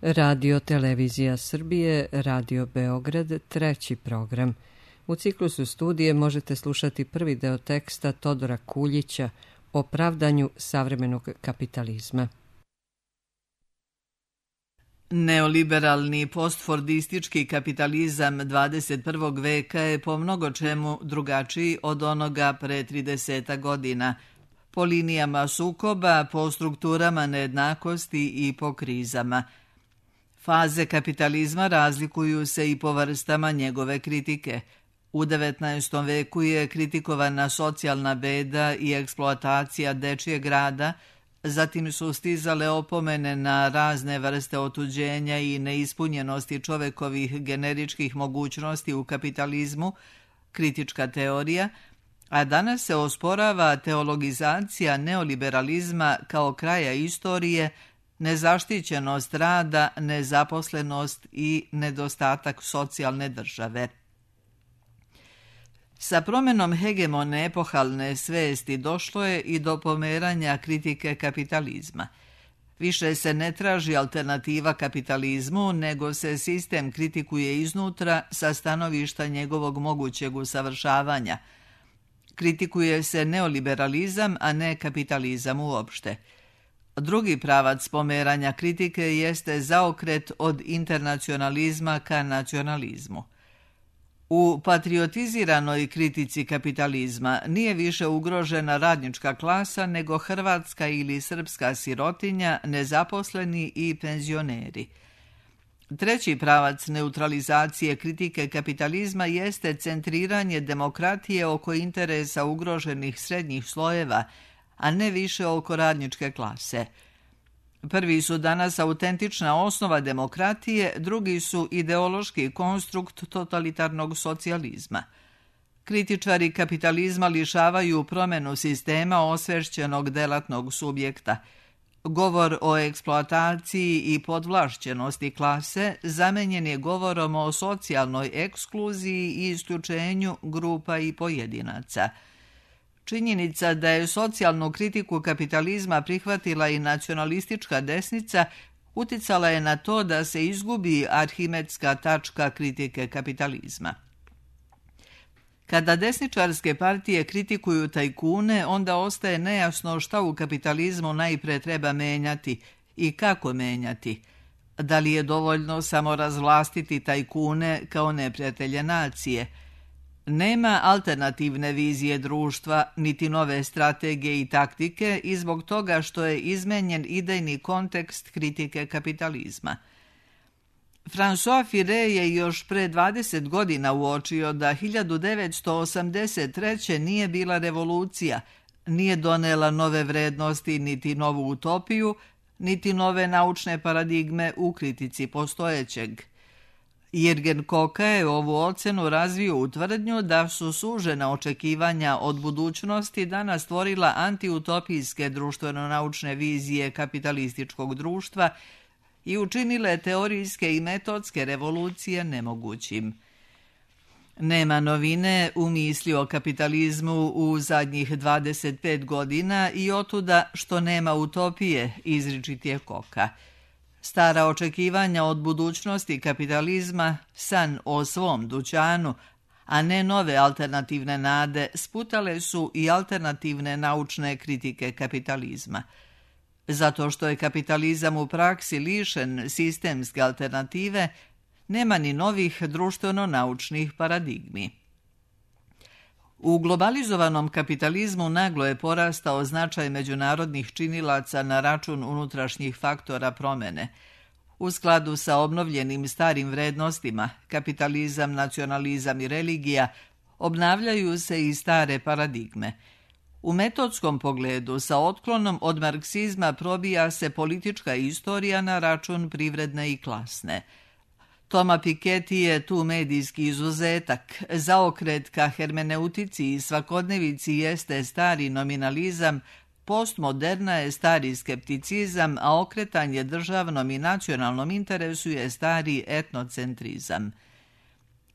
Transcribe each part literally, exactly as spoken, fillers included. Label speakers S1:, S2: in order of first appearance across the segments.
S1: Radio Televizija Srbije, Radio Beograd, treći program. U ciklusu studije možete slušati prvi deo teksta Todora Kuljića o pravdanju savremenog kapitalizma.
S2: Neoliberalni postfordistički kapitalizam dvadeset prvog veka je po mnogo čemu drugačiji od onoga pre trideset godina, po linijama sukoba, po strukturama nejednakosti i po krizama. Faze kapitalizma razlikuju se i po vrstama njegove kritike. U devetnaestom veku je kritikovana socijalna beda i eksploatacija dečijeg rada, zatim su stizale opomene na razne vrste otuđenja i neispunjenosti čovekovih generičkih mogućnosti u kapitalizmu, kritička teorija, a danas se osporava teologizacija neoliberalizma kao kraja istorije, nezaštićenost rada, nezaposlenost i nedostatak socijalne države. Sa promenom hegemone epohalne svesti došlo je i do pomeranja kritike kapitalizma. Više se ne traži alternativa kapitalizmu, nego se sistem kritikuje iznutra sa stanovišta njegovog mogućeg usavršavanja. Kritikuje se neoliberalizam, a ne kapitalizam uopšte. Drugi pravac pomeranja kritike jeste zaokret od internacionalizma ka nacionalizmu. U patriotiziranoj kritici kapitalizma nije više ugrožena radnička klasa nego hrvatska ili srpska sirotinja, nezaposleni i penzioneri. Treći pravac neutralizacije kritike kapitalizma jeste centriranje demokratije oko interesa ugroženih srednjih slojeva, a ne više oko radničke klase. Prvi su danas autentična osnova demokratije, drugi su ideološki konstrukt totalitarnog socijalizma. Kritičari kapitalizma lišavaju promenu sistema osvešćenog delatnog subjekta. Govor o eksploataciji i podvlašćenosti klase zamenjen je govorom o socijalnoj ekskluziji i isključenju grupa i pojedinaca. Činjenica da je socijalnu kritiku kapitalizma prihvatila i nacionalistička desnica uticala je na to da se izgubi arhimedska tačka kritike kapitalizma. Kada desničarske partije kritikuju tajkune, onda ostaje nejasno šta u kapitalizmu najpre treba menjati i kako menjati. Da li je dovoljno samo razvlastiti tajkune kao neprijatelje nacije? Nema alternativne vizije društva, niti nove strategije i taktike i zbog toga što je izmenjen idejni kontekst kritike kapitalizma. François Furet je još pre dvadeset godina uočio da hiljadu devetsto osamdeset treće. nije bila revolucija, nije donela nove vrednosti niti novu utopiju, niti nove naučne paradigme u kritici postojećeg. Jürgen Koka je ovu ocenu razvio u tvrdnju da su sužena očekivanja od budućnosti danas stvorila antiutopijske društveno-naučne vizije kapitalističkog društva i učinile teorijske i metodske revolucije nemogućim. Nema novine u misli o kapitalizmu u zadnjih dvadeset pet godina i otuda što nema utopije, izričit je Koka. Stara očekivanja od budućnosti kapitalizma, san o svom dućanu, a ne nove alternativne nade, sputale su i alternativne naučne kritike kapitalizma. Zato što je kapitalizam u praksi lišen sistemske alternative, nema ni novih društveno-naučnih paradigmi. U globalizovanom kapitalizmu naglo je porastao značaj međunarodnih činilaca na račun unutrašnjih faktora promene. U skladu sa obnovljenim starim vrednostima, kapitalizam, nacionalizam i religija, obnavljaju se i stare paradigme. U metodskom pogledu sa otklonom od marksizma probija se politička istorija na račun privredne i klasne. Toma Piketty je tu medijski izuzetak. Zaokret ka hermeneutici i svakodnevici jeste stari nominalizam, postmoderna je stari skepticizam, a okretanje državnom i nacionalnom interesu je stari etnocentrizam.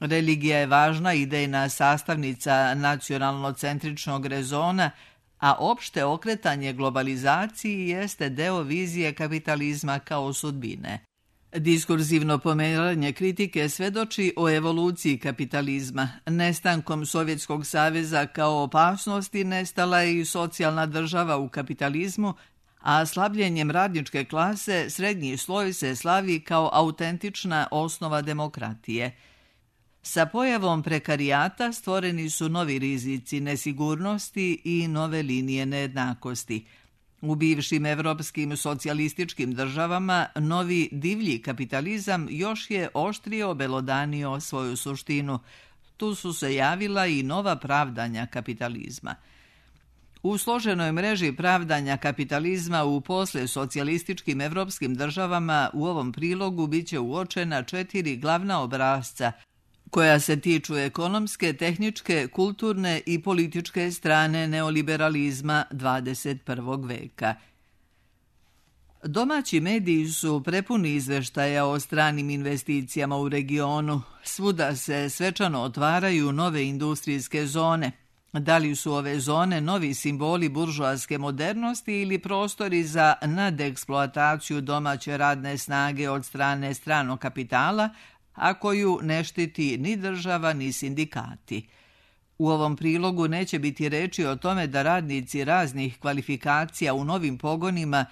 S2: Religija je važna idejna sastavnica nacionalno-centričnog rezona, a opšte okretanje globalizaciji jeste deo vizije kapitalizma kao sudbine. Diskurzivno pomeranje kritike svedoči o evoluciji kapitalizma. Nestankom Sovjetskog saveza kao opasnosti nestala je i socijalna država u kapitalizmu, a slabljenjem radničke klase srednji sloj se slavi kao autentična osnova demokratije. Sa pojavom prekarijata stvoreni su novi rizici nesigurnosti i nove linije nejednakosti. U bivšim evropskim socijalističkim državama novi divlji kapitalizam još je oštrio obelodanio svoju suštinu. Tu su se javila i nova pravdanja kapitalizma. U složenoj mreži pravdanja kapitalizma u posle socijalističkim evropskim državama u ovom prilogu biće uočena četiri glavna obrasca koja se tiču ekonomske, tehničke, kulturne i političke strane neoliberalizma dvadeset prvog veka. Domaći mediji su prepuni izveštaja o stranim investicijama u regionu. Svuda se svečano otvaraju nove industrijske zone. Da li su ove zone novi simboli buržoaske modernosti ili prostori za nadeksploataciju domaće radne snage od strane stranog kapitala, a koju ne štiti ni država ni sindikati. U ovom prilogu neće biti reči o tome da radnici raznih kvalifikacija u novim pogonima,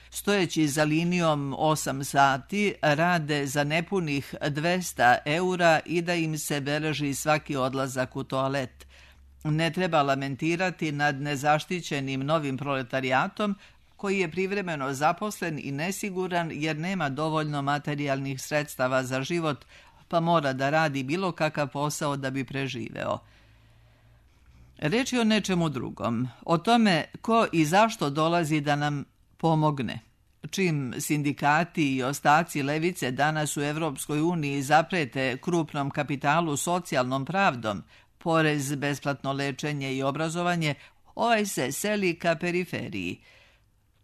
S2: stojeći za linijom osam sati, rade za nepunih dvesta eura i da im se beleži svaki odlazak u toalet. Ne treba lamentirati nad nezaštićenim novim proletarijatom, koji je privremeno zaposlen i nesiguran jer nema dovoljno materijalnih sredstava za život, pa mora da radi bilo kakav posao da bi preživeo. Reč je o nečemu drugom, o tome ko i zašto dolazi da nam pomogne. Čim sindikati i ostaci levice danas u Evropskoj uniji zaprete krupnom kapitalu socijalnom pravdom, porez, besplatno lečenje i obrazovanje, ovaj se seli ka periferiji.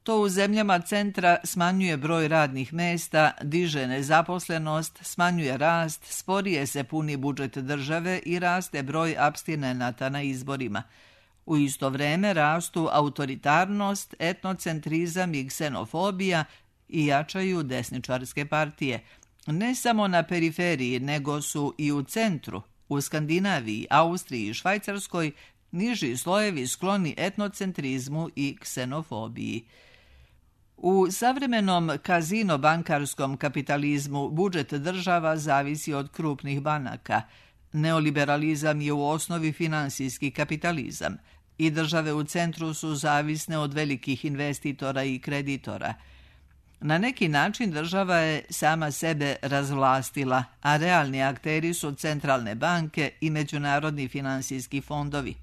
S2: To u zemljama centra smanjuje broj radnih mesta, diže nezaposlenost, smanjuje rast, sporije se puni budžet države i raste broj apstinenata na izborima. U isto vreme rastu autoritarnost, etnocentrizam i ksenofobija i jačaju desničarske partije. Ne samo na periferiji, nego su i u centru, u Skandinaviji, Austriji i Švajcarskoj, niži slojevi skloni etnocentrizmu i ksenofobiji. U savremenom kazino-bankarskom kapitalizmu budžet država zavisi od krupnih banaka. Neoliberalizam je u osnovi finansijski kapitalizam i države u centru su zavisne od velikih investitora i kreditora. Na neki način država je sama sebe razvlastila, a realni akteri su centralne banke i međunarodni finansijski fondovi.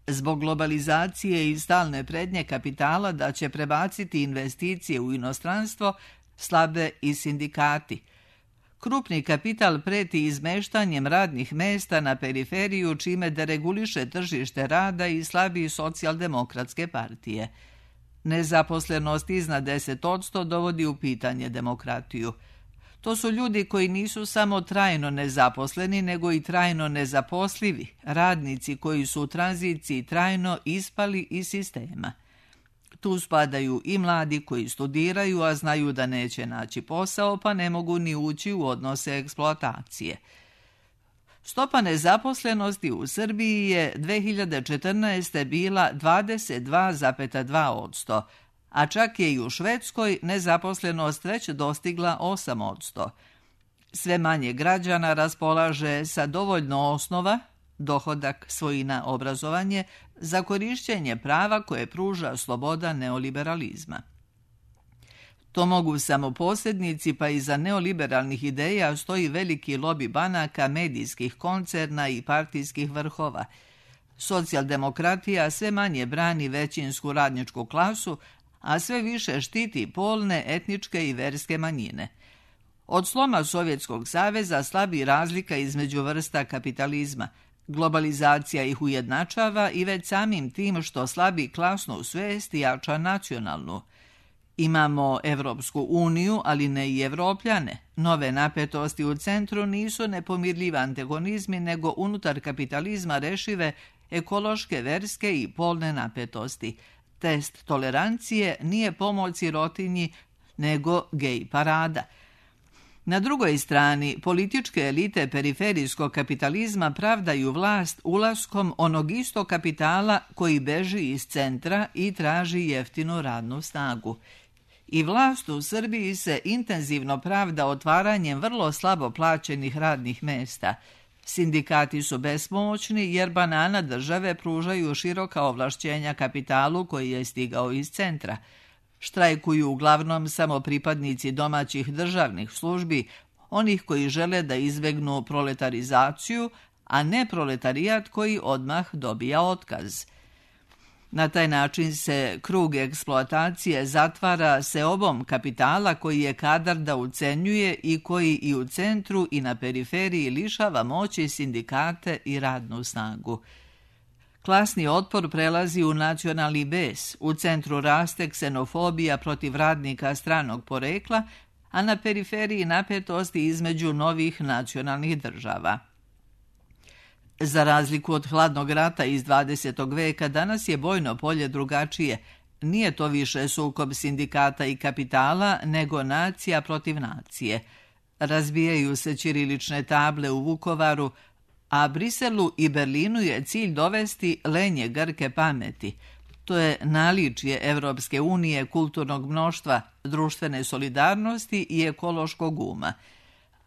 S2: Zbog globalizacije i stalne prednje kapitala da će prebaciti investicije u inostranstvo, slabe i sindikati. Krupni kapital preti izmeštanjem radnih mesta na periferiju, čime dereguliše tržište rada i slabi socijaldemokratske partije. Nezaposlenost iznad deset posto dovodi u pitanje demokratiju. To su ljudi koji nisu samo trajno nezaposleni, nego i trajno nezaposlivi, radnici koji su u tranziciji trajno ispali iz sistema. Tu spadaju i mladi koji studiraju, a znaju da neće naći posao, pa ne mogu ni ući u odnose eksploatacije. Stopa nezaposlenosti u Srbiji je dve hiljade četrnaeste. bila dvadeset dva zarez dva posto, a čak je i u Švedskoj nezaposlenost već dostigla osam posto. Sve manje građana raspolaže sa dovoljno osnova, dohodak, svojina, obrazovanje, za korišćenje prava koje pruža sloboda neoliberalizma. To mogu samo posrednici, pa iza neoliberalnih ideja stoji veliki lobi banaka, medijskih koncerna i partijskih vrhova. Socijaldemokratija sve manje brani većinsku radničku klasu, a sve više štiti polne, etničke i verske manjine. Od sloma Sovjetskog saveza slabi razlika između vrsta kapitalizma. Globalizacija ih ujednačava i već samim tim što slabi klasnu svest jača nacionalnu. Imamo Evropsku uniju, ali ne i Evropljane. Nove napetosti u centru nisu nepomirljivi antagonizmi, nego unutar kapitalizma rešive ekološke, verske i polne napetosti. Test tolerancije nije pomoć sirotinji, nego gej parada. Na drugoj strani, političke elite periferijskog kapitalizma pravdaju vlast ulaskom onog istog kapitala koji beži iz centra i traži jeftinu radnu snagu. I vlast u Srbiji se intenzivno pravda otvaranjem vrlo slabo plaćenih radnih mesta. Sindikati su bespomoćni jer banana države pružaju široka ovlašćenja kapitalu koji je stigao iz centra. Štrajkuju uglavnom samo pripadnici domaćih državnih službi, onih koji žele da izbegnu proletarizaciju, a ne proletarijat koji odmah dobija otkaz. Na taj način se krug eksploatacije zatvara seobom kapitala koji je kadar da ucenjuje i koji i u centru i na periferiji lišava moći sindikate i radnu snagu. Klasni otpor prelazi u nacionalni bes, u centru raste ksenofobija protiv radnika stranog porekla, a na periferiji napetosti između novih nacionalnih država. Za razliku od hladnog rata iz dvadesetog veka, danas je bojno polje drugačije. Nije to više sukob sindikata i kapitala, nego nacija protiv nacije. Razbijaju se ćirilične table u Vukovaru, a Briselu i Berlinu je cilj dovesti lenje grke pameti. To je naličje Evropske unije, kulturnog mnoštva, društvene solidarnosti i ekološkog uma.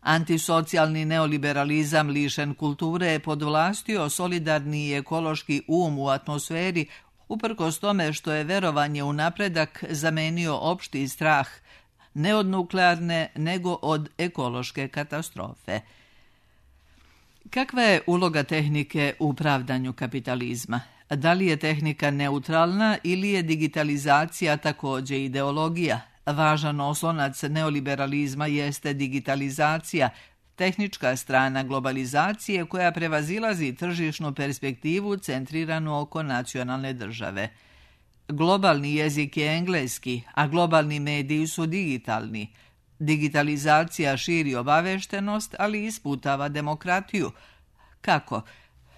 S2: Antisocijalni neoliberalizam lišen kulture je podvlastio solidarni i ekološki um u atmosferi, uprkos tome što je verovanje u napredak zamenio opšti strah, ne od nuklearne, nego od ekološke katastrofe. Kakva je uloga tehnike u pravdanju kapitalizma? Da li je tehnika neutralna ili je digitalizacija također ideologija? Važan oslonac neoliberalizma jeste digitalizacija, tehnička strana globalizacije koja prevazilazi tržišnu perspektivu centriranu oko nacionalne države. Globalni jezik je engleski, a globalni mediji su digitalni. Digitalizacija širi obaveštenost, ali isputava demokratiju. Kako?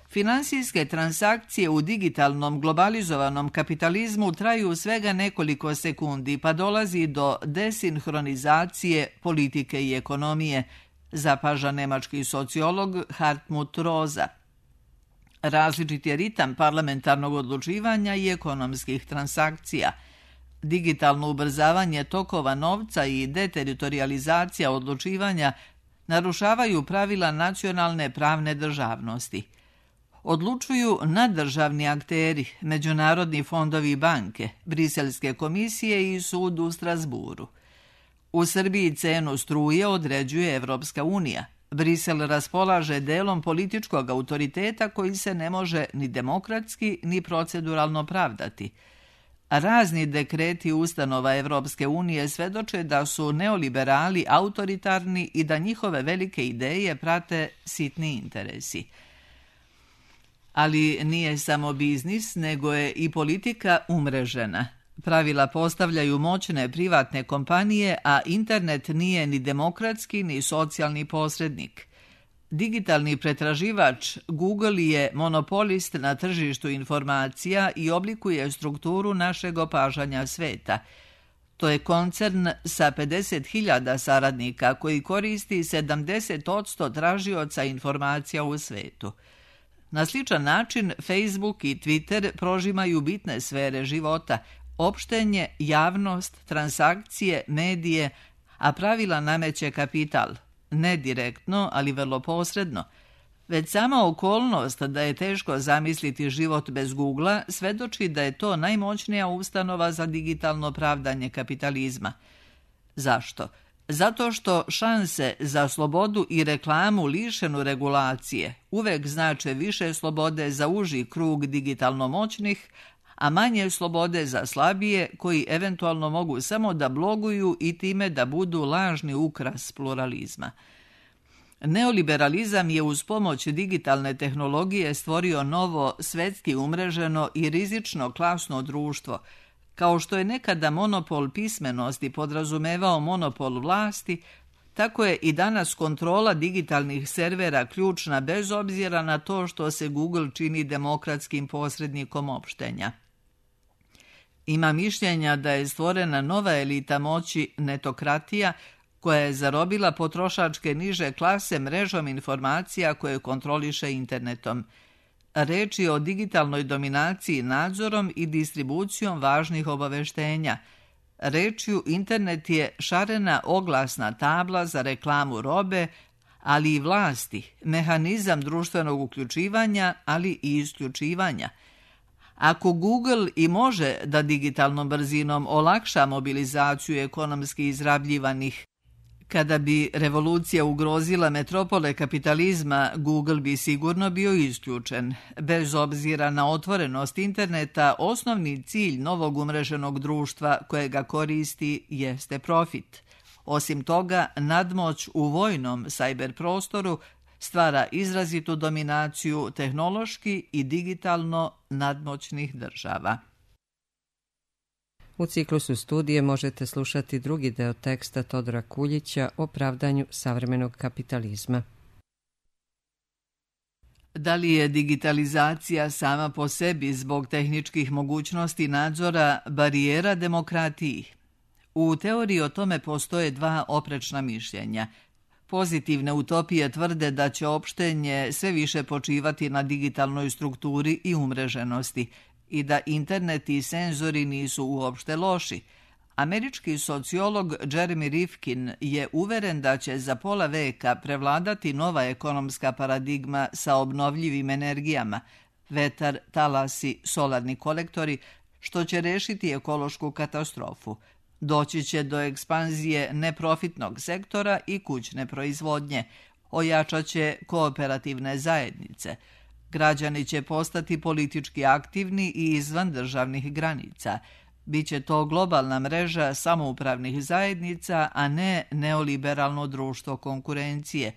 S2: Finansijske transakcije u digitalnom globalizovanom kapitalizmu traju svega nekoliko sekundi, pa dolazi do desinhronizacije politike i ekonomije, zapaža nemački sociolog Hartmut Rosa. Različit je ritam parlamentarnog odlučivanja i ekonomskih transakcija. Digitalno ubrzavanje tokova novca i deteritorializacija odlučivanja narušavaju pravila nacionalne pravne državnosti. Odlučuju naddržavni akteri, međunarodni fondovi i banke, Briselske komisije i sud u Strasburu. U Srbiji cenu struje određuje Evropska unija. Brisel raspolaže delom političkog autoriteta koji se ne može ni demokratski ni proceduralno pravdati. Razni dekreti ustanova Evropske unije svedoče da su neoliberali autoritarni i da njihove velike ideje prate sitni interesi. Ali nije samo biznis, nego je i politika umrežena. Pravila postavljaju moćne privatne kompanije, a internet nije ni demokratski ni socijalni posrednik. Digitalni pretraživač Google je monopolist na tržištu informacija i oblikuje strukturu našeg opažanja sveta. To je koncern sa pedeset hiljada saradnika koji koristi sedamdeset posto tražioca informacija u svetu. Na sličan način Facebook i Twitter prožimaju bitne sfere života, opštenje, javnost, transakcije, medije, a pravila nameće kapital. Ne direktno, ali vrlo posredno. Već sama okolnost da je teško zamisliti život bez Googlea svedoči da je to najmoćnija ustanova za digitalno pravdanje kapitalizma. Zašto? Zato što šanse za slobodu i reklamu lišenu regulacije uvek znače više slobode za uži krug digitalno moćnih, a manje slobode za slabije koji eventualno mogu samo da bloguju i time da budu lažni ukras pluralizma. Neoliberalizam je uz pomoć digitalne tehnologije stvorio novo, svetski umreženo i rizično klasno društvo. Kao što je nekada monopol pismenosti podrazumevao monopol vlasti, tako je i danas kontrola digitalnih servera ključna bez obzira na to što se Google čini demokratskim posrednikom opštenja. Ima mišljenja da je stvorena nova elita moći netokratija koja je zarobila potrošačke niže klase mrežom informacija koje kontroliše internetom. Reč je o digitalnoj dominaciji nadzorom i distribucijom važnih obaveštenja. Rečju internet je šarena oglasna tabla za reklamu robe, ali i vlasti, mehanizam društvenog uključivanja, ali i isključivanja. Ako Google i može da digitalnom brzinom olakša mobilizaciju ekonomski izrabljivanih, kada bi revolucija ugrozila metropole kapitalizma, Google bi sigurno bio isključen. Bez obzira na otvorenost interneta, osnovni cilj novog umreženog društva koje ga koristi jeste profit. Osim toga, nadmoć u vojnom sajber prostoru stvara izrazitu dominaciju tehnološki i digitalno nadmoćnih država.
S1: U ciklusu studije možete slušati drugi deo teksta Todora Kuljića o pravdanju savremenog kapitalizma.
S2: Da li je digitalizacija sama po sebi zbog tehničkih mogućnosti nadzora barijera demokratiji? U teoriji o tome postoje dva oprečna mišljenja. Pozitivne utopije tvrde da će opštenje sve više počivati na digitalnoj strukturi i umreženosti i da internet i senzori nisu uopšte loši. Američki sociolog Jeremy Rifkin je uveren da će za pola veka prevladati nova ekonomska paradigma sa obnovljivim energijama, vetar, talasi, solarni kolektori, što će rešiti ekološku katastrofu. Doći će do ekspanzije neprofitnog sektora i kućne proizvodnje, ojačat će kooperativne zajednice. Građani će postati politički aktivni i izvan državnih granica. Biće to globalna mreža samoupravnih zajednica, a ne neoliberalno društvo konkurencije.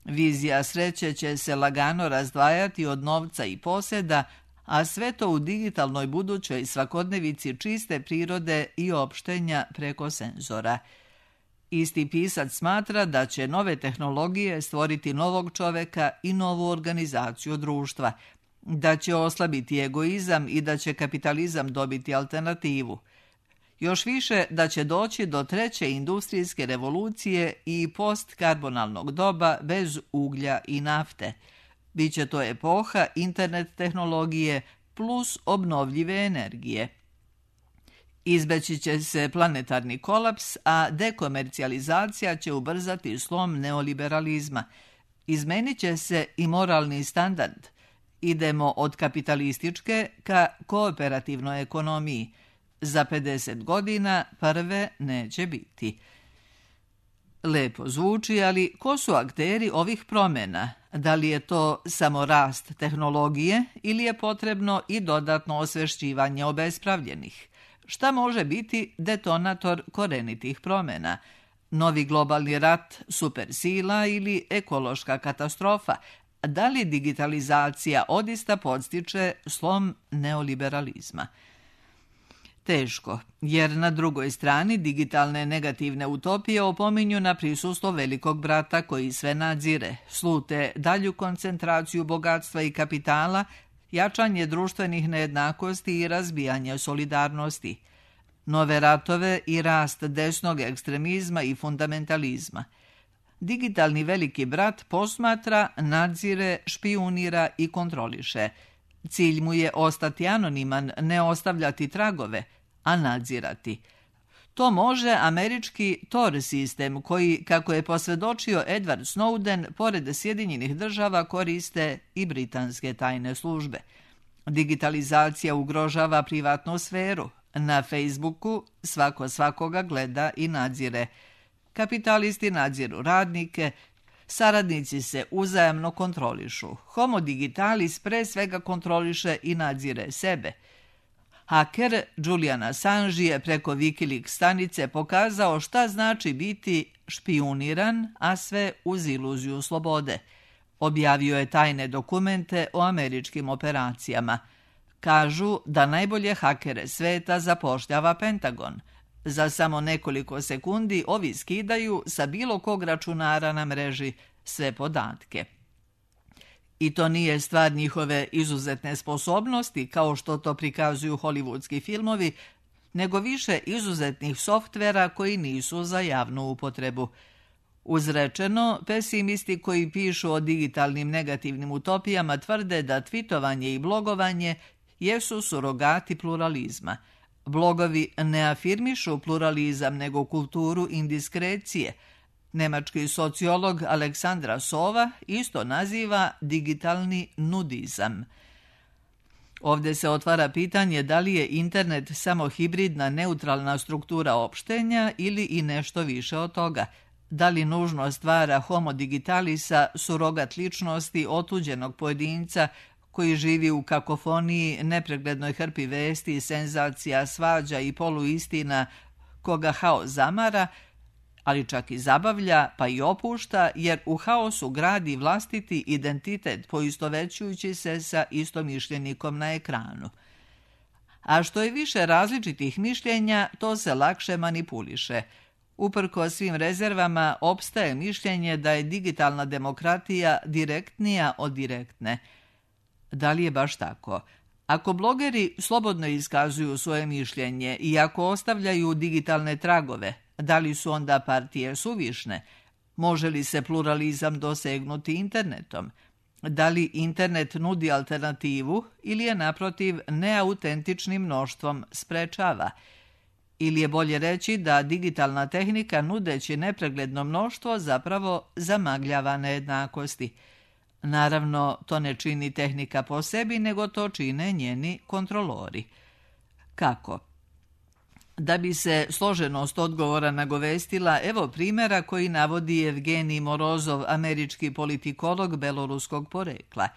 S2: Vizija sreće će se lagano razdvajati od novca i poseda, a sve to u digitalnoj budućoj svakodnevici čiste prirode i opštenja preko senzora. Isti pisac smatra da će nove tehnologije stvoriti novog čoveka i novu organizaciju društva, da će oslabiti egoizam i da će kapitalizam dobiti alternativu. Još više da će doći do treće industrijske revolucije i postkarbonalnog doba bez uglja i nafte. Biće to epoha internet tehnologije plus obnovljive energije. Izbeći će se planetarni kolaps, a dekomercijalizacija će ubrzati slom neoliberalizma. Izmenit će se i moralni standard. Idemo od kapitalističke ka kooperativnoj ekonomiji. Za pedeset godina prve neće biti. Lepo zvuči, ali ko su akteri ovih promjena? Da li je to samo rast tehnologije ili je potrebno i dodatno osvešćivanje obespravljenih? Šta može biti detonator korenitih promjena? Novi globalni rat, supersila ili ekološka katastrofa? Da li digitalizacija odista podstiče slom neoliberalizma? Teško, jer na drugoj strani digitalne negativne utopije opominju na prisustvo velikog brata koji sve nadzire, slute dalju koncentraciju bogatstva i kapitala, jačanje društvenih nejednakosti i razbijanje solidarnosti, nove ratove i rast desnog ekstremizma i fundamentalizma. Digitalni veliki brat posmatra, nadzire, špijunira i kontroliše. Cilj mu je ostati anoniman, ne ostavljati tragove, a nadzirati. To može američki Tor sistem koji, kako je posvjedočio Edward Snowden, pored Sjedinjenih država koriste i britanske tajne službe. Digitalizacija ugrožava privatnu sferu. Na Facebooku svako svakoga gleda i nadzire. Kapitalisti nadziru radnike, saradnici se uzajamno kontrolišu. Homo digitalis pre svega kontroliše i nadzire sebe. Haker Julian Assange je preko Wikileaks stanice pokazao šta znači biti špijuniran, a sve uz iluziju slobode. Objavio je tajne dokumente o američkim operacijama. Kažu da najbolje hakere sveta zapošljava Pentagon. Za samo nekoliko sekundi ovi skidaju sa bilo kog računara na mreži sve podatke. I to nije stvar njihove izuzetne sposobnosti, kao što to prikazuju hollywoodski filmovi, nego više izuzetnih softvera koji nisu za javnu upotrebu. Uzrečeno, pesimisti koji pišu o digitalnim negativnim utopijama tvrde da tvitovanje i blogovanje jesu surogati pluralizma. Blogovi ne afirmišu pluralizam nego kulturu indiskrecije. Nemački sociolog Aleksandra Sova isto naziva digitalni nudizam. Ovdje se otvara pitanje da li je internet samo hibridna neutralna struktura opštenja ili i nešto više od toga. Da li nužno stvara homo digitalisa surogat ličnosti otuđenog pojedinca koji živi u kakofoniji, nepreglednoj hrpi vesti, senzacija, svađa i poluistina koga haos zamara, ali čak i zabavlja pa i opušta, jer u haosu gradi vlastiti identitet poistovećujući se sa istomišljenikom na ekranu. A što je više različitih mišljenja, to se lakše manipuliše. Uprkos svim rezervama, opstaje mišljenje da je digitalna demokratija direktnija od direktne. Da li je baš tako? Ako blogeri slobodno iskazuju svoje mišljenje i ako ostavljaju digitalne tragove, da li su onda partije suvišne? Može li se pluralizam dosegnuti internetom? Da li internet nudi alternativu ili je naprotiv neautentičnim mnoštvom sprečava? Ili je bolje reći da digitalna tehnika nudeći nepregledno mnoštvo zapravo zamagljava nejednakosti? Naravno, to ne čini tehnika po sebi, nego to čine njeni kontrolori. Kako? Da bi se složenost odgovora nagovestila, evo primjera koji navodi Evgenij Morozov, američki politikolog beloruskog porekla.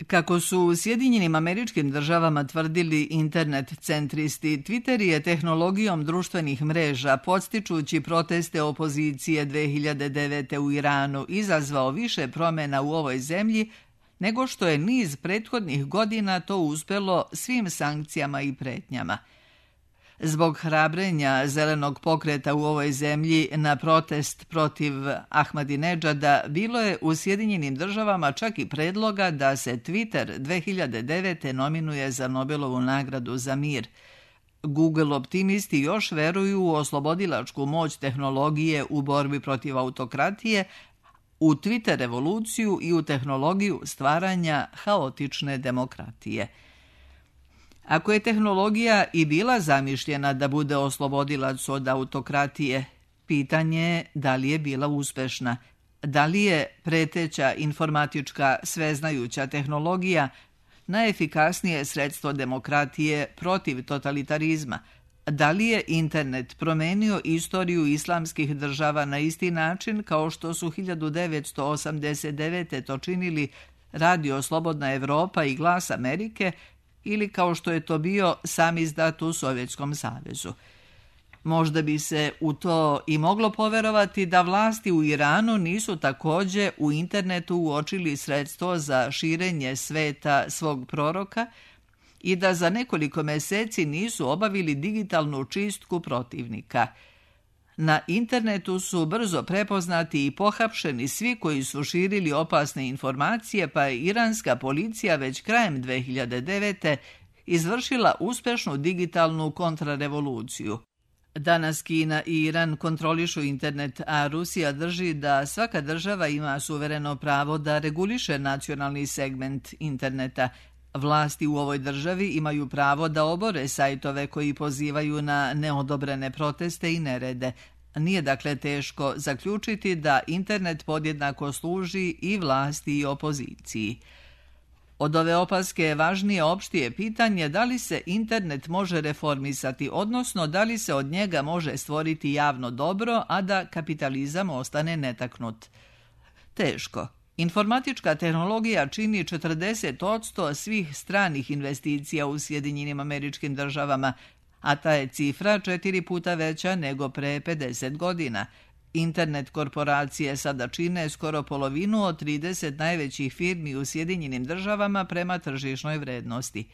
S2: Kako su u Sjedinjenim Američkim Državama tvrdili internet centristi, Twitter je tehnologijom društvenih mreža, podstičući proteste opozicije dve hiljade devete. u Iranu, izazvao više promjena u ovoj zemlji nego što je niz prethodnih godina to uspjelo svim sankcijama i pretnjama. Zbog hrabrenja zelenog pokreta u ovoj zemlji na protest protiv Ahmadinedžada bilo je u Sjedinjenim Državama čak i predloga da se Twitter dve hiljade devete. nominuje za Nobelovu nagradu za mir. Google optimisti još veruju u oslobodilačku moć tehnologije u borbi protiv autokratije, u Twitter revoluciju i u tehnologiju stvaranja haotične demokratije. Ako je tehnologija i bila zamišljena da bude oslobodilac od autokratije, pitanje je da li je bila uspešna. Da li je preteća informatička sveznajuća tehnologija najefikasnije sredstvo demokratije protiv totalitarizma? Da li je internet promenio istoriju islamskih država na isti način kao što su hiljadu devetsto osamdeset devete. to činili Radio Slobodna Evropa i Glas Amerike, ili kao što je to bio sam izdat u Sovjetskom savezu? Možda bi se u to i moglo poverovati da vlasti u Iranu nisu također u internetu uočili sredstvo za širenje sveta svog proroka i da za nekoliko mjeseci nisu obavili digitalnu čistku protivnika. Na internetu su brzo prepoznati i pohapšeni svi koji su širili opasne informacije, pa je iranska policija već krajem dve hiljade devete. izvršila uspješnu digitalnu kontrarevoluciju. Danas Kina i Iran kontrolišu internet, a Rusija drži da svaka država ima suvereno pravo da reguliše nacionalni segment interneta. Vlasti u ovoj državi imaju pravo da obore sajtove koji pozivaju na neodobrene proteste i nerede. Nije dakle teško zaključiti da internet podjednako služi i vlasti i opoziciji. Od ove opaske je važnije opštije pitanje da li se internet može reformisati, odnosno da li se od njega može stvoriti javno dobro, a da kapitalizam ostane netaknut. Teško. Informatička tehnologija čini četrdeset posto svih stranih investicija u Sjedinjenim Američkim Državama, a ta je cifra četiri puta veća nego pre pedeset godina. Internet korporacije sada čine skoro polovinu od trideset najvećih firmi u Sjedinjenim Državama prema tržišnoj vrednosti.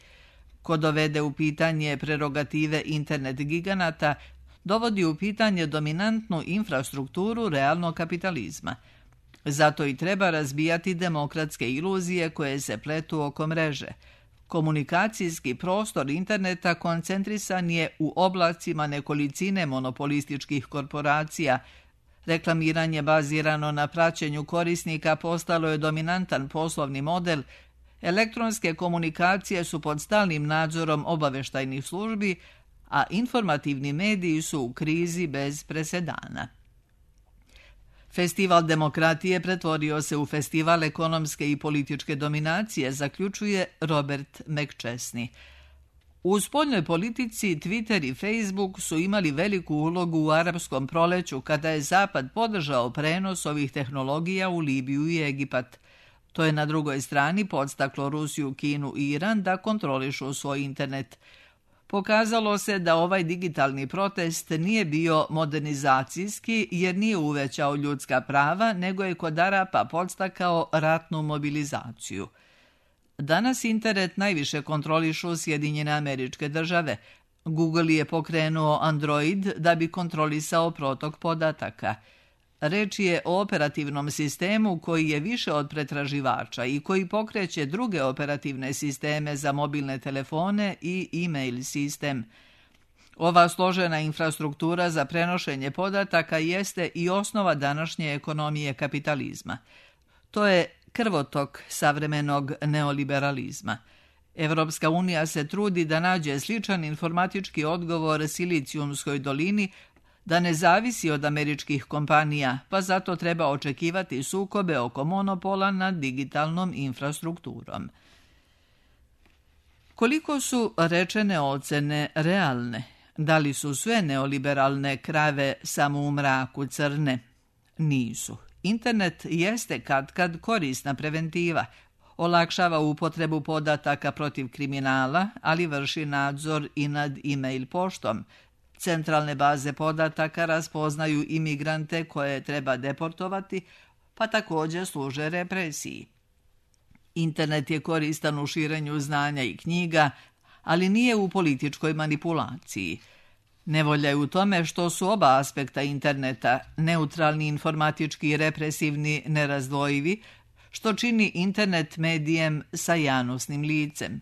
S2: Ko dovede u pitanje prerogative internet giganata, dovodi u pitanje dominantnu infrastrukturu realnog kapitalizma. Zato i treba razbijati demokratske iluzije koje se pletu oko mreže. Komunikacijski prostor interneta koncentrisan je u oblacima nekolicine monopolističkih korporacija. Reklamiranje bazirano na praćenju korisnika postalo je dominantan poslovni model. Elektronske komunikacije su pod stalnim nadzorom obaveštajnih službi, a informativni mediji su u krizi bez presedana. Festival demokratije pretvorio se u festival ekonomske i političke dominacije, zaključuje Robert McChesney. U spoljnoj politici Twitter i Facebook su imali veliku ulogu u arapskom proleću kada je Zapad podržao prenos ovih tehnologija u Libiju i Egipat. To je na drugoj strani podstaklo Rusiju, Kinu i Iran da kontrolišu svoj internet. Pokazalo se da ovaj digitalni protest nije bio modernizacijski jer nije uvećao ljudska prava, nego je kod Arapa podstakao ratnu mobilizaciju. Danas internet najviše kontrolišu Sjedinjene Američke Države. Google je pokrenuo Android da bi kontrolisao protok podataka. Reč je o operativnom sistemu koji je više od pretraživača i koji pokreće druge operativne sisteme za mobilne telefone i e-mail sistem. Ova složena infrastruktura za prenošenje podataka jeste i osnova današnje ekonomije kapitalizma. To je krvotok savremenog neoliberalizma. Evropska unija se trudi da nađe sličan informatički odgovor Silicijumskoj dolini, da ne zavisi od američkih kompanija, pa zato treba očekivati sukobe oko monopola nad digitalnom infrastrukturom. Koliko su rečene ocene realne? Da li su sve neoliberalne krave samo u mraku crne? Nisu. Internet jeste katkad korisna preventiva. Olakšava upotrebu podataka protiv kriminala, ali vrši nadzor i nad e-mail poštom. Centralne baze podataka raspoznaju imigrante koje treba deportovati, pa također služe represiji. Internet je koristan u širenju znanja i knjiga, ali nije u političkoj manipulaciji. Nevolja je u tome što su oba aspekta interneta, neutralni, informatički i represivni, nerazdvojivi, što čini internet medijem sa janosnim licem.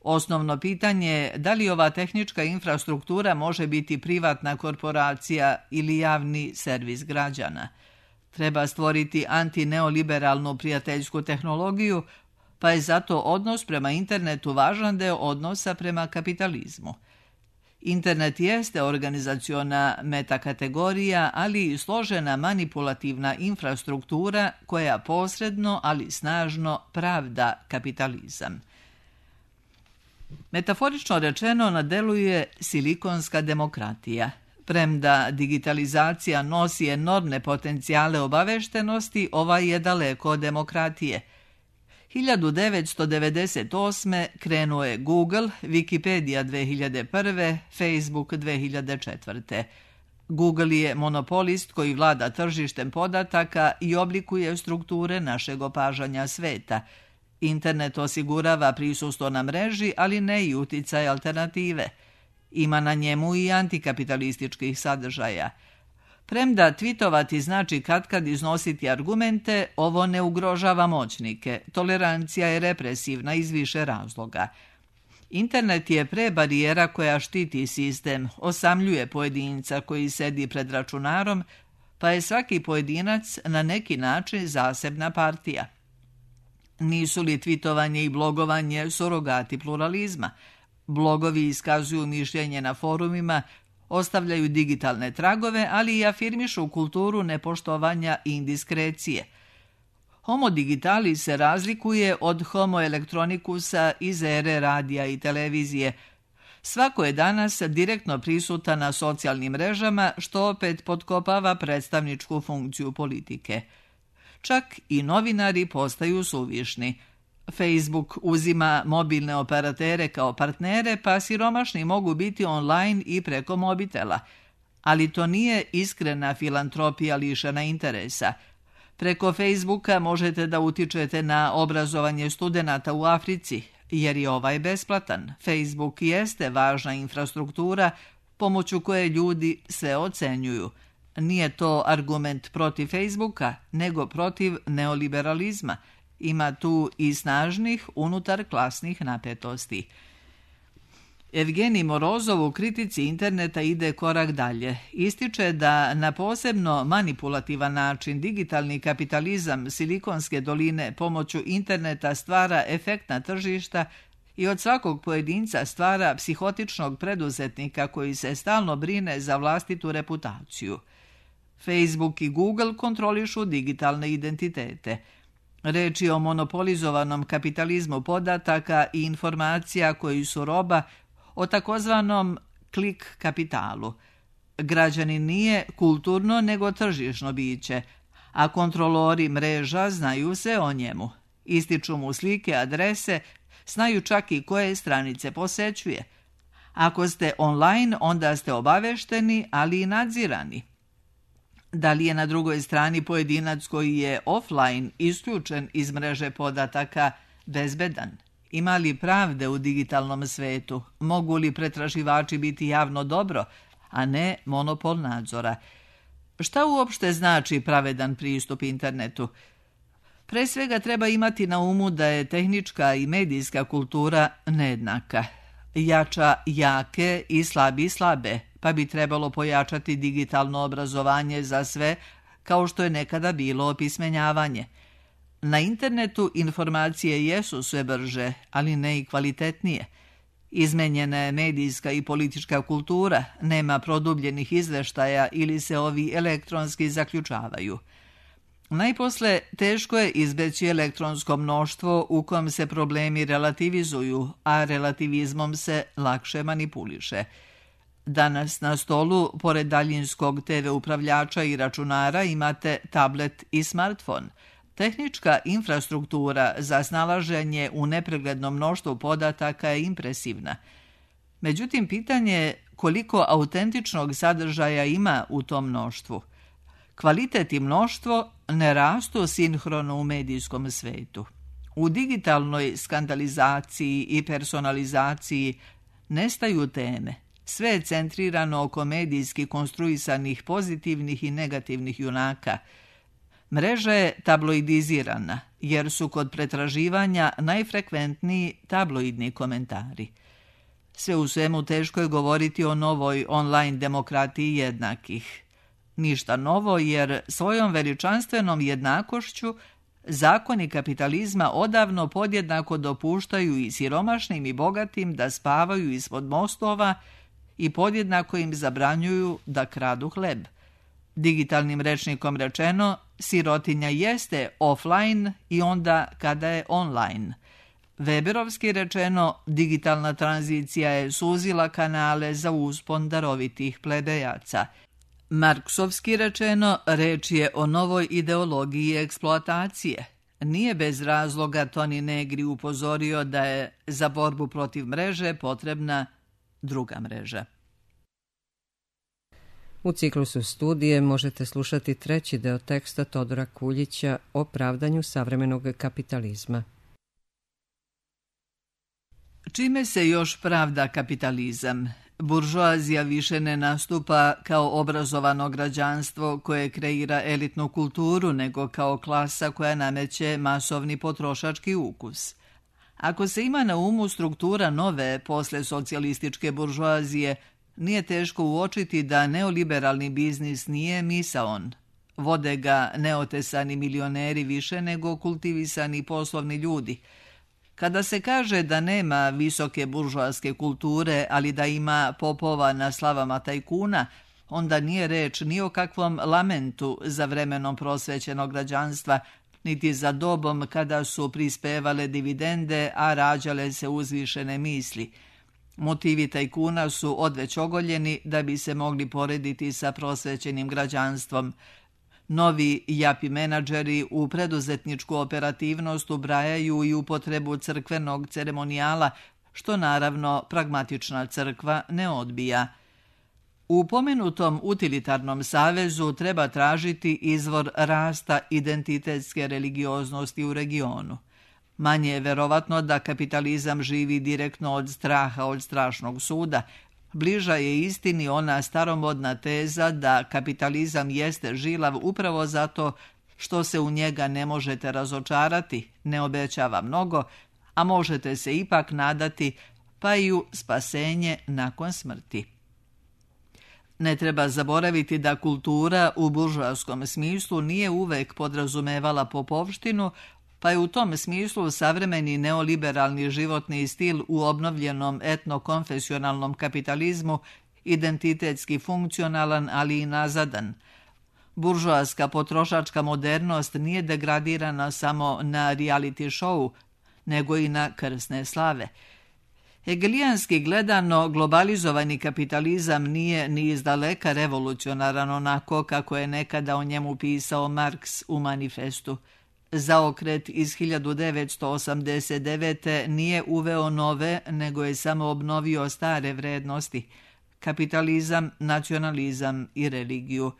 S2: Osnovno pitanje je da li ova tehnička infrastruktura može biti privatna korporacija ili javni servis građana. Treba stvoriti antineoliberalnu prijateljsku tehnologiju, pa je zato odnos prema internetu važan deo odnosa prema kapitalizmu. Internet jeste organizaciona metakategorija, ali i složena manipulativna infrastruktura koja posredno, ali snažno pravda kapitalizam. Metaforično rečeno na delu je silikonska demokratija. Premda digitalizacija nosi enormne potencijale obaveštenosti, ova je daleko od demokratije. hiljadu devetsto devedeset osme krenuo je Google, Wikipedia dve hiljade prve, Facebook dve hiljade četvrte. Google je monopolist koji vlada tržištem podataka i oblikuje strukture našeg opažanja sveta. Internet osigurava prisustvo na mreži, ali ne i uticaj alternative. Ima na njemu i antikapitalističkih sadržaja. Premda twitovati znači katkad iznositi argumente, ovo ne ugrožava moćnike. Tolerancija je represivna iz više razloga. Internet je pre barijera koja štiti sistem, osamljuje pojedinca koji sedi pred računarom, pa je svaki pojedinac na neki način zasebna partija. Nisu li twitovanje i blogovanje surogati pluralizma? Blogovi iskazuju mišljenje na forumima, ostavljaju digitalne tragove, ali i afirmišu kulturu nepoštovanja i indiskrecije. Homo digitalis se razlikuje od homo elektronikusa iz ere radija i televizije. Svako je danas direktno prisutan na socijalnim mrežama, što opet potkopava predstavničku funkciju politike. Čak i novinari postaju suvišni. Facebook uzima mobilne operatere kao partnere, pa siromašni mogu biti online i preko mobitela. Ali to nije iskrena filantropija lišena interesa. Preko Facebooka možete da utičete na obrazovanje studenata u Africi, jer je ovaj besplatan. Facebook jeste važna infrastruktura pomoću koje ljudi sve ocenjuju. Nije to argument protiv Facebooka, nego protiv neoliberalizma, Ima tu i snažnih unutar klasnih napetosti. Evgenij Morozov u kritici interneta ide korak dalje. Ističe da na posebno manipulativan način digitalni kapitalizam Silikonske doline pomoću interneta stvara efektna tržišta i od svakog pojedinca stvara psihotičnog preduzetnika koji se stalno brine za vlastitu reputaciju. Facebook i Google kontrolišu digitalne identitete. Reč je o monopolizovanom kapitalizmu podataka i informacija koji su roba, o takozvanom klik kapitalu. Građanin nije kulturno nego tržišno biće, a kontrolori mreža znaju se o njemu. Ističu mu slike, adrese, znaju čak i koje stranice posećuje. Ako ste online, onda ste obavešteni, ali i nadzirani. Da li je na drugoj strani pojedinac koji je offline isključen iz mreže podataka bezbedan? Ima li pravde u digitalnom svetu? Mogu li pretraživači biti javno dobro, a ne monopol nadzora? Šta uopšte znači pravedan pristup internetu? Pre svega treba imati na umu da je tehnička i medijska kultura nejednaka. Jača jake i slabi slabe, pa bi trebalo pojačati digitalno obrazovanje za sve, kao što je nekada bilo opismenjavanje. Na internetu informacije jesu sve brže, ali ne i kvalitetnije. Izmenjena je medijska i politička kultura, nema produbljenih izveštaja ili se ovi elektronski zaključavaju. Najposle, teško je izbeći elektronsko mnoštvo u kom se problemi relativizuju, a relativizmom se lakše manipuliše. Danas na stolu, pored daljinskog te ve upravljača i računara, imate tablet i smartfon. Tehnička infrastruktura za snalaženje u nepreglednom mnoštvu podataka je impresivna. Međutim, pitanje je koliko autentičnog sadržaja ima u tom mnoštvu. Kvalitet i mnoštvo ne rastu sinhrono u medijskom svetu. U digitalnoj skandalizaciji i personalizaciji nestaju teme. Sve je centrirano oko medijski konstruisanih pozitivnih i negativnih junaka. Mreža je tabloidizirana, jer su kod pretraživanja najfrekventniji tabloidni komentari. Sve u svemu teško je govoriti o novoj online demokratiji jednakih. Ništa novo, jer svojom veličanstvenom jednakošću zakoni kapitalizma odavno podjednako dopuštaju i siromašnim i bogatim da spavaju ispod mostova i podjednako im zabranjuju da kradu hleb. Digitalnim rečnikom rečeno, sirotinja jeste offline i onda kada je online. Weberovski rečeno, digitalna tranzicija je suzila kanale za uspon darovitih plebejaca. Marksovski rečeno, reč je o novoj ideologiji eksploatacije. Nije bez razloga Toni Negri upozorio da je za borbu protiv mreže potrebna druga mreža.
S1: U ciklusu studije možete slušati treći deo teksta Todora Kuljića o pravdanju savremenog kapitalizma.
S2: Čime se još pravda kapitalizam? Buržoazija više ne nastupa kao obrazovano građanstvo koje kreira elitnu kulturu, nego kao klasa koja nameće masovni potrošački ukus. Ako se ima na umu struktura nove posle socijalističke buržoazije, nije teško uočiti da neoliberalni biznis nije misaon. Vode ga neotesani milioneri više nego kultivisani poslovni ljudi. Kada se kaže da nema visoke buržoaske kulture, ali da ima popova na slavama tajkuna, onda nije reč ni o kakvom lamentu za vremenom prosvećenog građanstva, niti za dobom kada su prispevale dividende, a rađale se uzvišene misli. Motivi tajkuna su odveć ogoljeni da bi se mogli porediti sa prosvećenim građanstvom. Novi japi menadžeri u preduzetničku operativnost ubrajaju i upotrebu crkvenog ceremonijala, što naravno pragmatična crkva ne odbija. U pomenutom utilitarnom savezu treba tražiti izvor rasta identitetske religioznosti u regionu. Manje je verovatno da kapitalizam živi direktno od straha od strašnog suda. Bliža je istini ona staromodna teza da kapitalizam jeste žilav upravo zato što se u njega ne možete razočarati, ne obećava mnogo, a možete se ipak nadati pa i u spasenje nakon smrti. Ne treba zaboraviti da kultura u buržoaskom smislu nije uvek podrazumevala popovštinu, pa je u tom smislu savremeni neoliberalni životni stil u obnovljenom etnokonfesionalnom kapitalizmu identitetski funkcionalan, ali i nazadan. Buržoaska potrošačka modernost nije degradirana samo na reality show, nego i na krsne slave. Hegelijanski gledano, globalizovani kapitalizam nije ni izdaleka revolucionaran onako kako je nekada o njemu pisao Marks u manifestu. Zaokret iz hiljadu devetsto osamdeset devete. nije uveo nove, nego je samo obnovio stare vrednosti, kapitalizam, nacionalizam i religiju.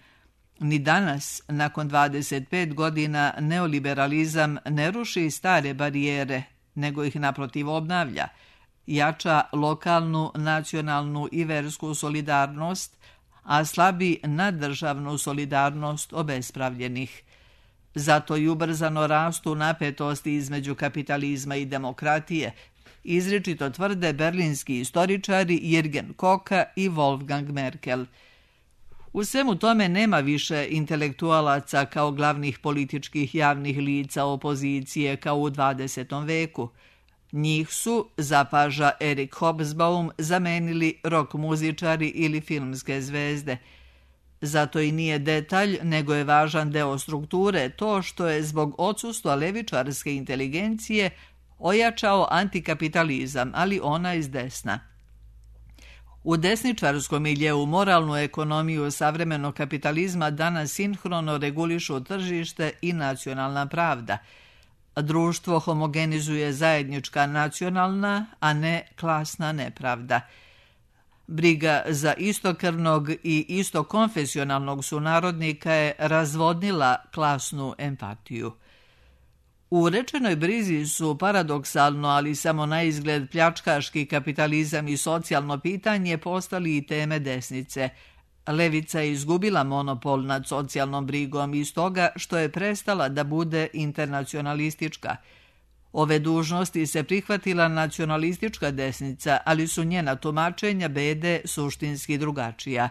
S2: Ni danas, nakon dvadeset pet godina, neoliberalizam ne ruši stare barijere, nego ih naprotiv obnavlja, jača lokalnu, nacionalnu i versku solidarnost, a slabi naddržavnu solidarnost obespravljenih. Zato i ubrzano rastu napetosti između kapitalizma i demokratije, izričito tvrde berlinski istoričari Jürgen Koka i Wolfgang Merkel. U svemu tome nema više intelektualaca kao glavnih političkih javnih lica opozicije kao u dvadesetom veku. Njih su, zapaža Erik Hobsbawm, zamenili rock muzičari ili filmske zvezde. Zato i nije detalj, nego je važan deo strukture to što je zbog odsustva levičarske inteligencije ojačao antikapitalizam, ali ona iz desna. U desničarskom miljeu moralnu ekonomiju savremenog kapitalizma danas sinhrono regulišu tržište i nacionalna pravda. Društvo homogenizuje zajednička nacionalna, a ne klasna nepravda. Briga za istokrvnog i istokonfesionalnog sunarodnika je razvodnila klasnu empatiju. U rečenoj brizi su paradoksalno, ali samo na izgled pljačkaški kapitalizam i socijalno pitanje postali i teme desnice. Levica je izgubila monopol nad socijalnom brigom iz toga što je prestala da bude internacionalistička. Ove dužnosti se prihvatila nacionalistička desnica, ali su njena tumačenja bede suštinski drugačija.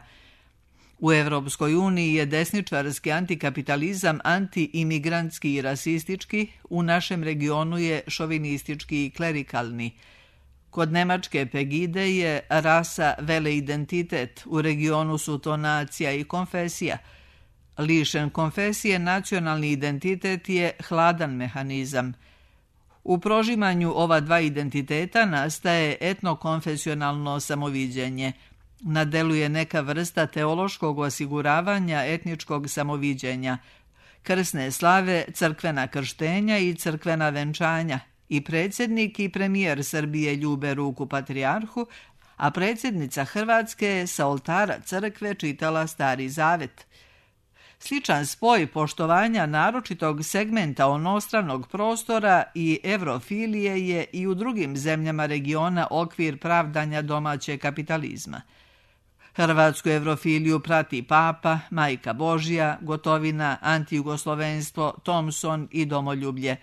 S2: U Evropskoj uniji je desničarski antikapitalizam anti-imigrantski i rasistički, u našem regionu je šovinistički i klerikalni. Kod nemačke Pegide je rasa veleidentitet, u regionu su to nacija i konfesija. Lišen konfesije, nacionalni identitet je hladan mehanizam. U prožimanju ova dva identiteta nastaje etnokonfesionalno samoviđenje. Nadeluje neka vrsta teološkog osiguravanja etničkog samoviđenja, krsne slave, crkvena krštenja i crkvena venčanja. I predsjednik i premijer Srbije ljube ruku patrijarhu, a predsjednica Hrvatske je sa oltara crkve čitala Stari Zavet. Sličan spoj poštovanja naročitog segmenta onostranog prostora i evrofilije je i u drugim zemljama regiona okvir pravdanja domaće kapitalizma. Hrvatsku evrofiliju prati Papa, Majka Božja, Gotovina, antijugoslovenstvo, Thompson i domoljublje.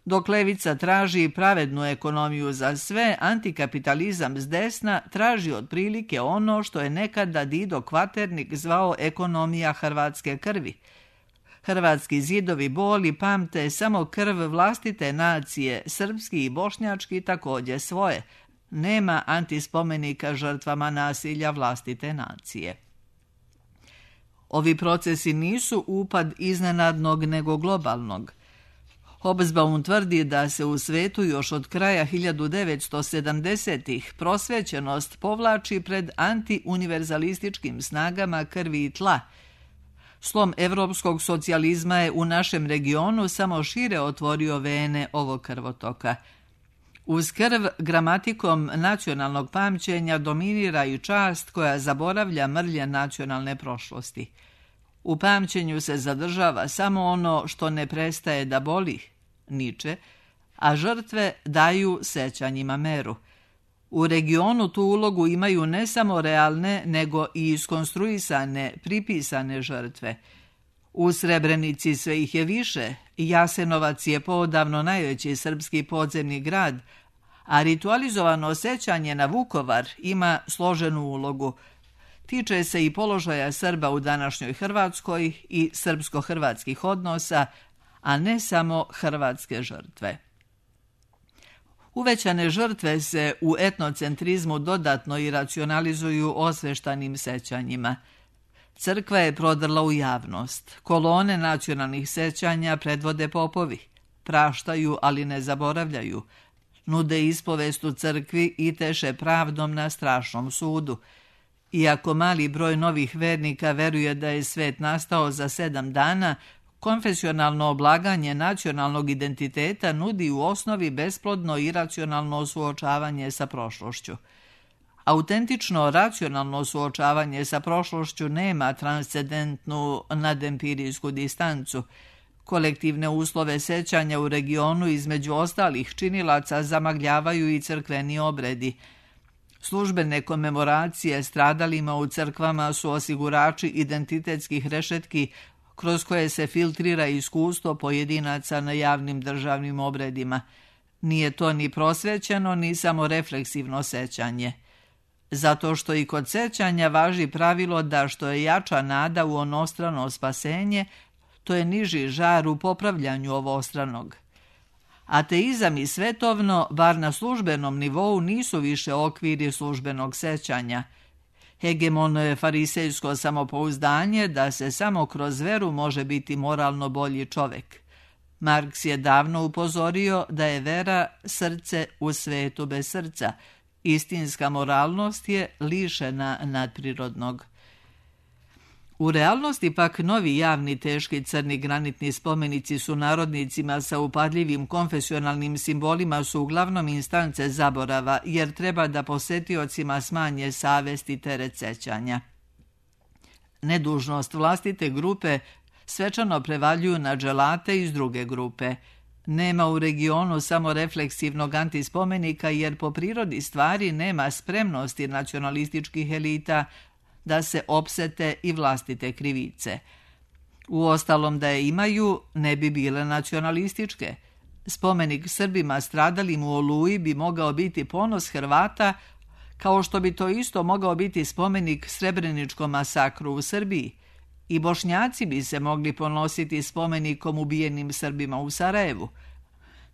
S2: Dok levica traži pravednu ekonomiju za sve, antikapitalizam s desna traži otprilike ono što je nekada Dido Kvaternik zvao ekonomija hrvatske krvi. Hrvatski zidovi boli pamte samo krv vlastite nacije, srpski i bošnjački također svoje. Nema antispomenika žrtvama nasilja vlastite nacije. Ovi procesi nisu upad iznenadnog nego globalnog. Hobsbawm tvrdi da se u svetu još od kraja hiljadu devetsto sedamdesetih prosvećenost povlači pred antiuniverzalističkim snagama krvi i tla. Slom evropskog socijalizma je u našem regionu samo šire otvorio vene ovog krvotoka. Uz krv gramatikom nacionalnog pamćenja dominira i čast koja zaboravlja mrlje nacionalne prošlosti. U pamćenju se zadržava samo ono što ne prestaje da boli, Niče, a žrtve daju sećanjima meru. U regionu tu ulogu imaju ne samo realne, nego i iskonstruisane, pripisane žrtve. U Srebrenici sve ih je više, Jasenovac je poodavno najveći srpski podzemni grad, a ritualizovano sećanje na Vukovar ima složenu ulogu. Tiče se i položaja Srba u današnjoj Hrvatskoj i srpsko-hrvatskih odnosa, a ne samo hrvatske žrtve. Uvećane žrtve se u etnocentrizmu dodatno i racionalizuju osveštanim sećanjima. Crkva je prodrla u javnost. Kolone nacionalnih sećanja predvode popovi. Praštaju, ali ne zaboravljaju. Nude ispovest u crkvi i teše pravdom na strašnom sudu. Iako mali broj novih vernika veruje da je svet nastao za sedam dana, konfesionalno oblaganje nacionalnog identiteta nudi u osnovi besplodno i racionalno suočavanje sa prošlošću. Autentično racionalno suočavanje sa prošlošću nema transcendentnu nadempirijsku distancu. Kolektivne uslove sećanja u regionu između ostalih činilaca zamagljavaju i crkveni obredi. Službene komemoracije stradalima u crkvama su osigurači identitetskih rešetki kroz koje se filtrira iskustvo pojedinaca na javnim državnim obredima. Nije to ni prosvećeno, ni samo refleksivno sećanje. Zato što i kod sećanja važi pravilo da što je jača nada u onostrano spasenje, to je niži žar u popravljanju ovostranog. Ateizam i svetovno, bar na službenom nivou, nisu više okviri službenog sećanja. Hegemono je farisejsko samopouzdanje da se samo kroz veru može biti moralno bolji čovek. Marks je davno upozorio da je vera srce u svetu bez srca. Istinska moralnost je lišena nadprirodnog. U realnosti pak novi javni teški crni granitni spomenici su narodnicima sa upadljivim konfesionalnim simbolima su uglavnom instance zaborava, jer treba da posetiocima smanje savest i teret sećanja. Nedužnost vlastite grupe svečano prevaljuju na dželate iz druge grupe. Nema u regionu samo refleksivnog antispomenika, jer po prirodi stvari nema spremnosti nacionalističkih elita da se opsete i vlastite krivice. Uostalom da je imaju, ne bi bile nacionalističke. Spomenik Srbima stradalim u Oluji bi mogao biti ponos Hrvata, kao što bi to isto mogao biti spomenik Srebreničkom masakru u Srbiji. I Bošnjaci bi se mogli ponositi spomenikom ubijenim Srbima u Sarajevu.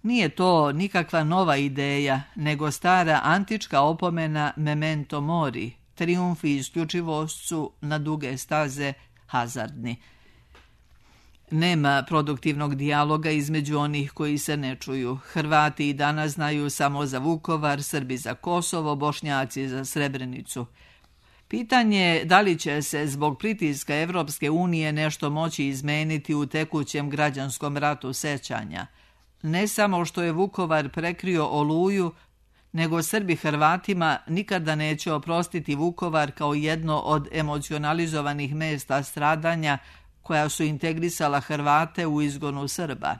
S2: Nije to nikakva nova ideja, nego stara antička opomena memento mori. Trijumf i isključivost su na duge staze hazardni. Nema produktivnog dijaloga između onih koji se ne čuju. Hrvati i danas znaju samo za Vukovar, Srbi za Kosovo, Bošnjaci za Srebrenicu. Pitanje je da li će se zbog pritiska Evropske unije nešto moći izmeniti u tekućem građanskom ratu sećanja. Ne samo što je Vukovar prekrio Oluju, nego Srbi Hrvatima nikada neće oprostiti Vukovar kao jedno od emocionalizovanih mesta stradanja koja su integrisala Hrvate u izgonu Srba.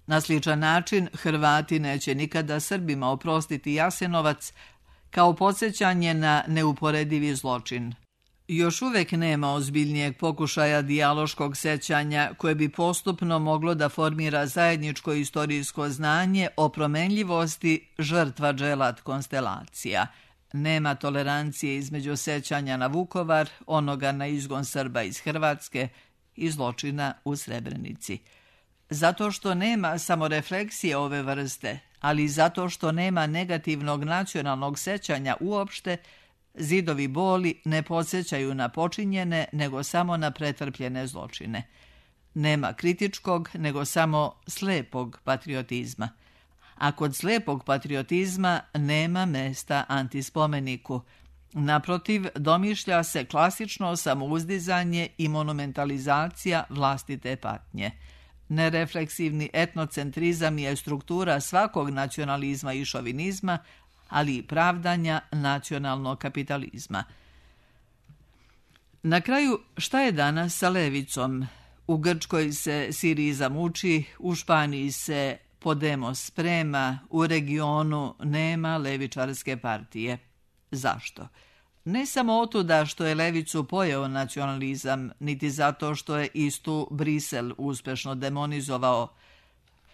S2: Na sličan način Hrvati neće nikada Srbima oprostiti Jasenovac kao podsjećanje na neuporedivi zločin. Još uvek nema ozbiljnijeg pokušaja dijaloškog sećanja koje bi postupno moglo da formira zajedničko istorijsko znanje o promenljivosti žrtva dželat konstelacija. Nema tolerancije između sećanja na Vukovar, onoga na izgon Srba iz Hrvatske i zločina u Srebrenici. Zato što nema samorefleksije ove vrste, ali zato što nema negativnog nacionalnog sećanja uopšte, zidovi boli ne podsjećaju na počinjene, nego samo na pretrpljene zločine. Nema kritičkog, nego samo slepog patriotizma. A kod slepog patriotizma nema mesta antispomeniku. Naprotiv, domišlja se klasično samouzdizanje i monumentalizacija vlastite patnje. Nerefleksivni etnocentrizam je struktura svakog nacionalizma i šovinizma, ali i pravdanja nacionalnog kapitalizma. Na kraju, šta je danas sa levicom? U Grčkoj se Siriza muči, u Španiji se Podemos sprema, u regionu nema levičarske partije. Zašto? Ne samo otuda što je levicu pojeo nacionalizam, niti zato što je istu Brisel uspešno demonizovao.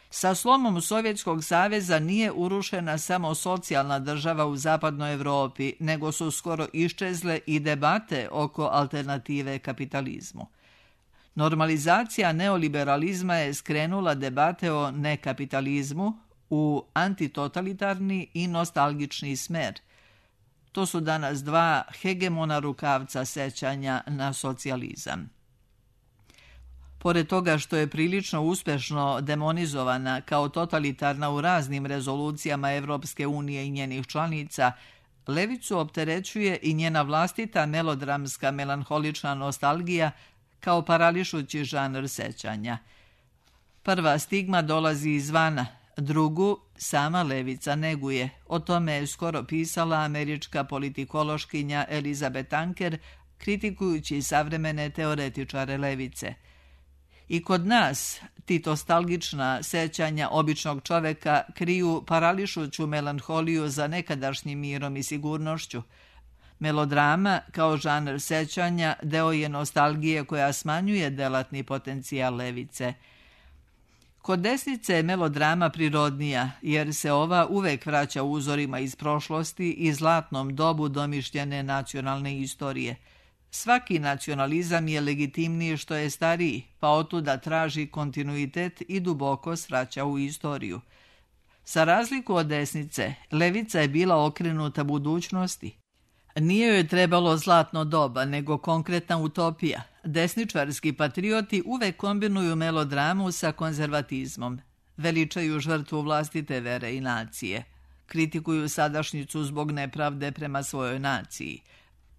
S2: Sa slomom Sovjetskog saveza nije urušena samo socijalna država u zapadnoj Evropi, nego su skoro iščezle i debate oko alternative kapitalizmu. Normalizacija neoliberalizma je skrenula debate o nekapitalizmu u antitotalitarni i nostalgični smer. To su danas dva hegemona rukavca sećanja na socijalizam. Pored toga što je prilično uspešno demonizovana kao totalitarna u raznim rezolucijama Evropske unije i njenih članica, levicu opterećuje i njena vlastita melodramska melanholična nostalgija kao parališući žanr sećanja. Prva stigma dolazi izvana, drugu sama levica neguje. O tome je skoro pisala američka politikološkinja Elizabeth Anker, kritikujući savremene teoretičare levice. I kod nas ti nostalgična sećanja običnog čoveka kriju parališuću melanholiju za nekadašnjim mirom i sigurnošću. Melodrama, kao žanr sećanja, deo je nostalgije koja smanjuje delatni potencijal levice. Kod desnice je melodrama prirodnija, jer se ova uvek vraća uzorima iz prošlosti i zlatnom dobu domišljene nacionalne istorije. Svaki nacionalizam je legitimniji što je stariji, pa otuda traži kontinuitet i duboko svraća u istoriju. Za razliku od desnice, levica je bila okrenuta budućnosti. Nije joj trebalo zlatno doba, nego konkretna utopija. Desničarski patrioti uvek kombinuju melodramu sa konzervatizmom. Veličaju žrtvu vlastite vere i nacije. Kritikuju sadašnjicu zbog nepravde prema svojoj naciji.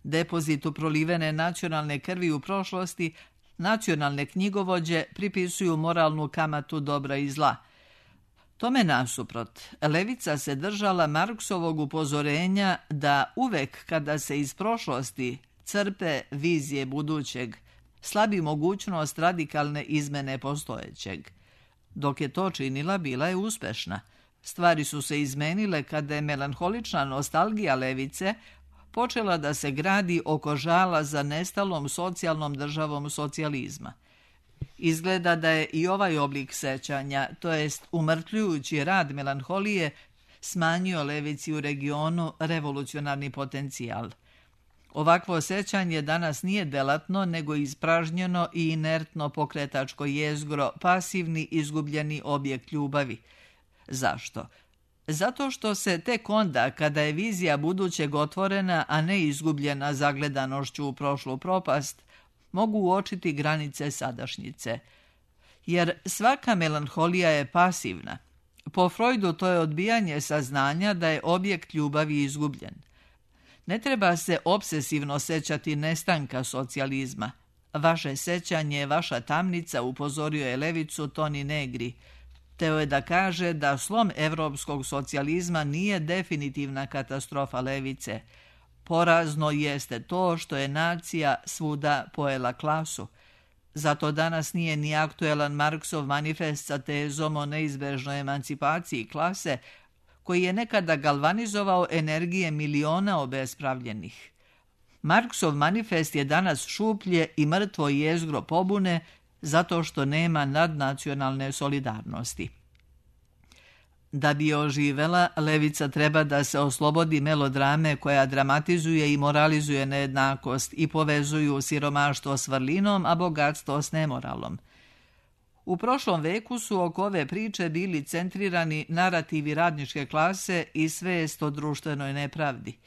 S2: Depozitu prolivene nacionalne krvi u prošlosti, nacionalne knjigovođe pripisuju moralnu kamatu dobra i zla. Tome nasuprot, levica se držala Marksovog upozorenja da uvek kada se iz prošlosti crpe vizije budućeg, slabi mogućnost radikalne izmene postojećeg. Dok je to činila, bila je uspešna. Stvari su se izmenile kada je melanholična nostalgija levice počela da se gradi oko žala za nestalom socijalnom državom socijalizma. Izgleda da je i ovaj oblik sećanja, to jest umrtljujući rad melanholije, smanjio levici u regionu revolucionarni potencijal. Ovakvo sećanje danas nije delatno, nego ispražnjeno i inertno pokretačko jezgro, pasivni izgubljeni objekt ljubavi. Zašto? Zato što se tek onda, kada je vizija budućeg otvorena, a ne izgubljena zagledanošću u prošlu propast, mogu uočiti granice sadašnjice. Jer svaka melanholija je pasivna. Po Freudu to je odbijanje saznanja da je objekt ljubavi izgubljen. Ne treba se obsesivno sećati nestanka socijalizma. Vaše sećanje je vaša tamnica, upozorio je levicu Toni Negri. Teo je da kaže da slom evropskog socijalizma nije definitivna katastrofa levice. Porazno jeste to što je nacija svuda pojela klasu. Zato danas nije ni aktuelan Marksov manifest sa tezom o neizbežnoj emancipaciji klase, koji je nekada galvanizovao energije miliona obespravljenih. Marksov manifest je danas šuplje i mrtvo jezgro pobune zato što nema nadnacionalne solidarnosti. Da bi oživela, levica treba da se oslobodi melodrame koja dramatizuje i moralizuje nejednakost i povezuju siromaštvo s vrlinom, a bogatstvo s nemoralom. U prošlom veku su oko ove priče bili centrirani narativi radničke klase i svest o društvenoj nepravdi.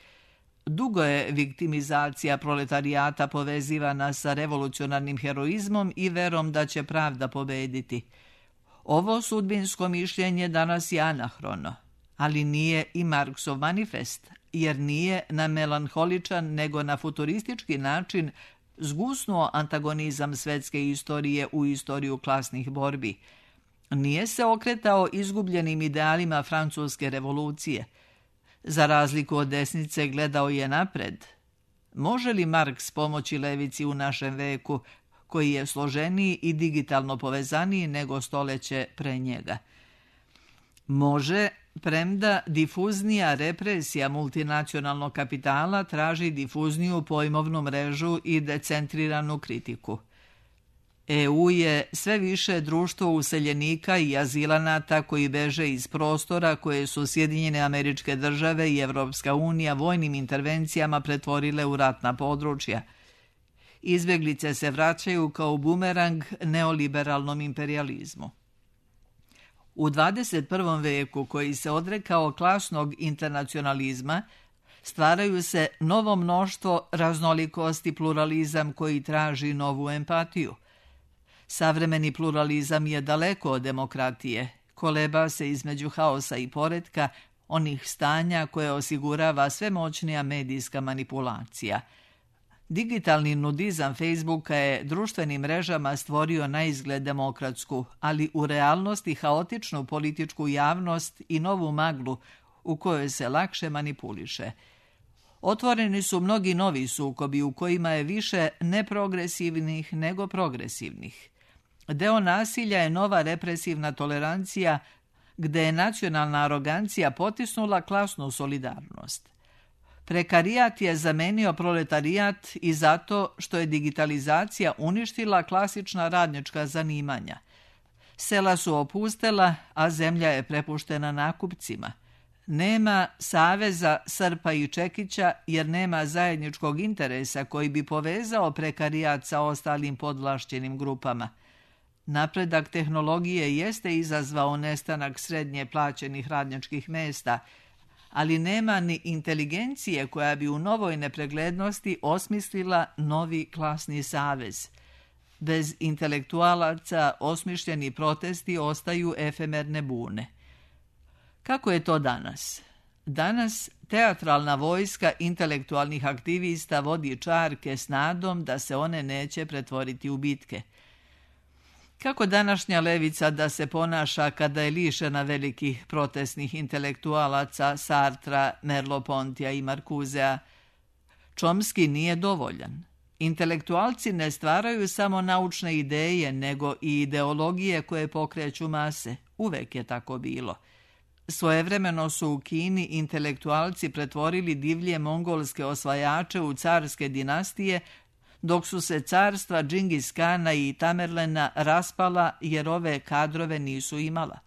S2: Dugo je viktimizacija proletarijata povezivana sa revolucionarnim heroizmom i verom da će pravda pobediti. Ovo sudbinsko mišljenje danas je anahrono, ali nije i Marksov manifest, jer nije na melanholičan nego na futuristički način zgusnuo antagonizam svetske istorije u istoriju klasnih borbi. Nije se okretao izgubljenim idealima francuske revolucije. Za razliku od desnice gledao je napred. Može li Marks pomoći levici u našem veku, koji je složeniji i digitalno povezaniji nego stoleće pre njega? Može, premda difuznija represija multinacionalnog kapitala traži difuzniju pojmovnu mrežu i decentriranu kritiku. E U je sve više društvo useljenika i azilanata koji beže iz prostora koje su Sjedinjene Američke Države i Evropska unija vojnim intervencijama pretvorile u ratna područja. Izbjeglice se vraćaju kao bumerang neoliberalnom imperijalizmu. U dvadeset prvom veku, koji se odrekao klasnog internacionalizma, stvaraju se novo mnoštvo raznolikosti i pluralizam koji traži novu empatiju. Savremeni pluralizam je daleko od demokratije, koleba se između haosa i poretka, onih stanja koje osigurava sve moćnija medijska manipulacija. Digitalni nudizam Facebooka je društvenim mrežama stvorio naizgled demokratsku, ali u realnosti haotičnu političku javnost i novu maglu u kojoj se lakše manipuliše. Otvoreni su mnogi novi sukobi u kojima je više neprogresivnih nego progresivnih. Deo nasilja je nova represivna tolerancija gde je nacionalna arogancija potisnula klasnu solidarnost. Prekarijat je zamenio proletarijat i zato što je digitalizacija uništila klasična radnička zanimanja. Sela su opustela, a zemlja je prepuštena nakupcima. Nema saveza Srpa i Čekića jer nema zajedničkog interesa koji bi povezao prekarijat sa ostalim podvlašćenim grupama. Napredak tehnologije jeste izazvao nestanak srednje plaćenih radničkih mesta, ali nema ni inteligencije koja bi u novoj nepreglednosti osmislila novi klasni savez. Bez intelektualaca osmišljeni protesti ostaju efemerne bune. Kako je to danas? Danas teatralna vojska intelektualnih aktivista vodi čarke s nadom da se one neće pretvoriti u bitke. Kako današnja levica da se ponaša kada je lišena velikih protestnih intelektualaca Sartra, Merleau-Pontija i Marcusea? Chomsky nije dovoljan. Intelektualci ne stvaraju samo naučne ideje, nego i ideologije koje pokreću mase. Uvek je tako bilo. Svojevremeno su u Kini intelektualci pretvorili divlje mongolske osvajače u carske dinastije, dok su se carstva Džingis Kana i Tamerlena raspala jer ove kadrove nisu imala.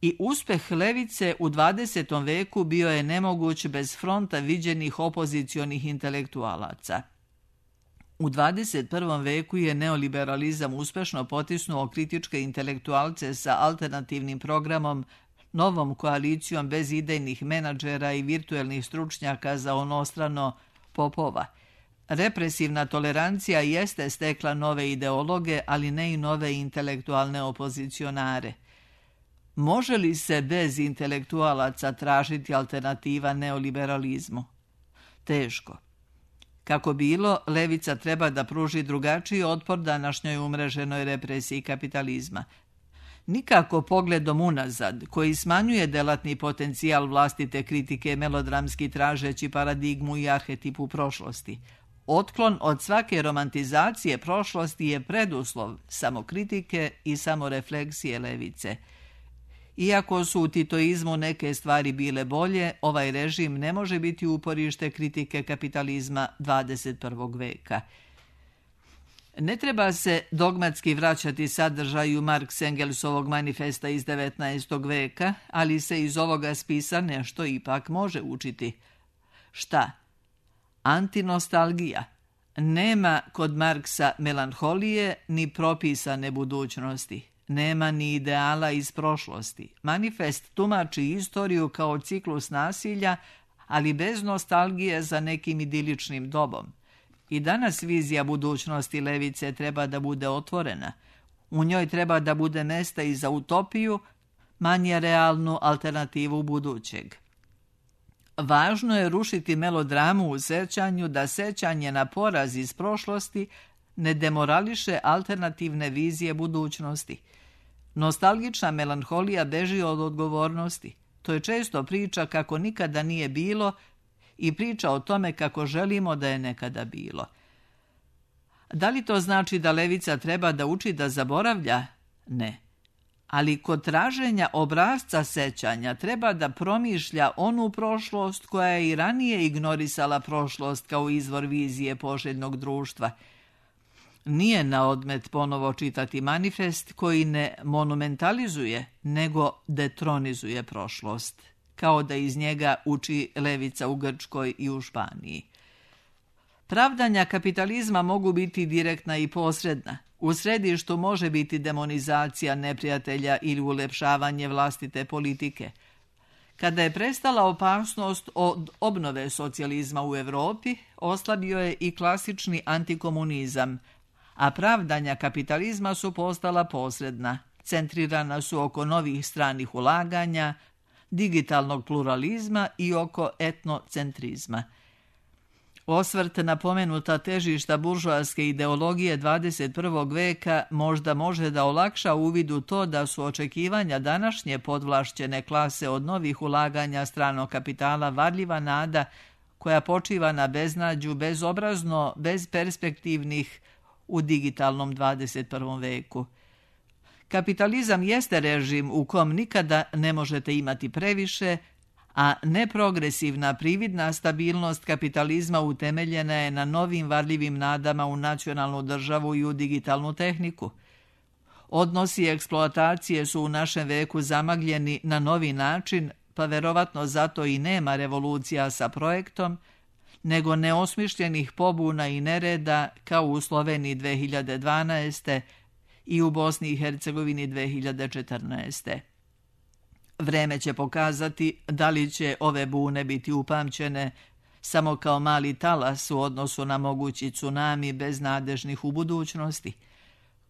S2: I uspeh levice u dvadesetom veku bio je nemoguć bez fronta viđenih opozicionih intelektualaca. U dvadeset prvom veku je neoliberalizam uspešno potisnuo kritičke intelektualce sa alternativnim programom, novom koalicijom bez idejnih menadžera i virtuelnih stručnjaka za onostrano popova. Represivna tolerancija jeste stekla nove ideologe, ali ne i nove intelektualne opozicionare. Može li se bez intelektualaca tražiti alternativa neoliberalizmu? Teško. Kako bilo, levica treba da pruži drugačiji otpor današnjoj umreženoj represiji kapitalizma. Nikako pogledom unazad, koji smanjuje delatni potencijal vlastite kritike melodramski tražeći paradigmu i arhetipu prošlosti. Otklon od svake romantizacije prošlosti je preduslov samokritike i samorefleksije levice. Iako su u titoizmu neke stvari bile bolje, ovaj režim ne može biti uporište kritike kapitalizma dvadeset prvog veka. Ne treba se dogmatski vraćati sadržaju Marks-Engelsovog manifesta iz devetnaestog veka, ali se iz ovoga spisa nešto ipak može učiti. Šta? Antinostalgija. Nema kod Marksa melanholije ni propisane budućnosti. Nema ni ideala iz prošlosti. Manifest tumači istoriju kao ciklus nasilja, ali bez nostalgije za nekim idiličnim dobom. I danas vizija budućnosti levice treba da bude otvorena. U njoj treba da bude mesta i za utopiju, manje realnu alternativu budućeg. Važno je rušiti melodramu u sećanju da sećanje na poraz iz prošlosti ne demorališe alternativne vizije budućnosti. Nostalgična melanholija beži od odgovornosti. To je često priča kako nikada nije bilo i priča o tome kako želimo da je nekada bilo. Da li to znači da levica treba da uči da zaboravlja? Ne. ali kod traženja obrasca sećanja treba da promišlja onu prošlost koja je i ranije ignorisala prošlost kao izvor vizije poželjnog društva. Nije na odmet ponovo čitati manifest koji ne monumentalizuje, nego detronizuje prošlost, kao da iz njega uči levica u Grčkoj i u Španiji. Pravdanja kapitalizma mogu biti direktna i posredna. U središtu može biti demonizacija neprijatelja ili ulepšavanje vlastite politike. Kada je prestala opasnost od obnove socijalizma u Evropi, oslabio je i klasični antikomunizam, a pravdanja kapitalizma su postala posredna, centrirana su oko novih stranih ulaganja, digitalnog pluralizma i oko etnocentrizma. Osvrt na pomenuta težišta buržoaske ideologije dvadeset prvog veka možda može da olakša uvid u to da su očekivanja današnje podvlašćene klase od novih ulaganja stranog kapitala varljiva nada koja počiva na beznađu, bezobrazno, bezperspektivnih u digitalnom dvadeset prvom veku. Kapitalizam jeste režim u kom nikada ne možete imati previše, a neprogresivna prividna stabilnost kapitalizma utemeljena je na novim varljivim nadama u nacionalnu državu i u digitalnu tehniku. Odnosi eksploatacije su u našem veku zamagljeni na novi način, pa verovatno zato i nema revolucija sa projektom, nego neosmišljenih pobuna i nereda kao u Sloveniji dve hiljade dvanaeste. i u Bosni i Hercegovini dve hiljade četrnaeste. Vreme će pokazati da li će ove bune biti upamćene samo kao mali talas u odnosu na mogući tsunami beznadežnih u budućnosti.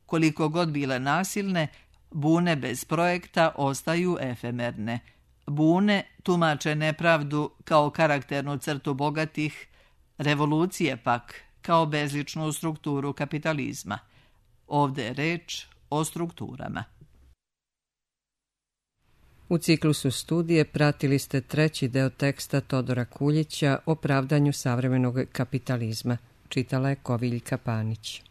S2: Koliko god bile nasilne, bune bez projekta ostaju efemerne. Bune tumače nepravdu kao karakternu crtu bogatih, revolucije pak kao bezličnu strukturu kapitalizma. Ovde je reč o strukturama.
S1: U ciklusu studije pratili ste treći deo teksta Todora Kuljića o pravdanju savremenog kapitalizma. Čitala je Koviljka Panić.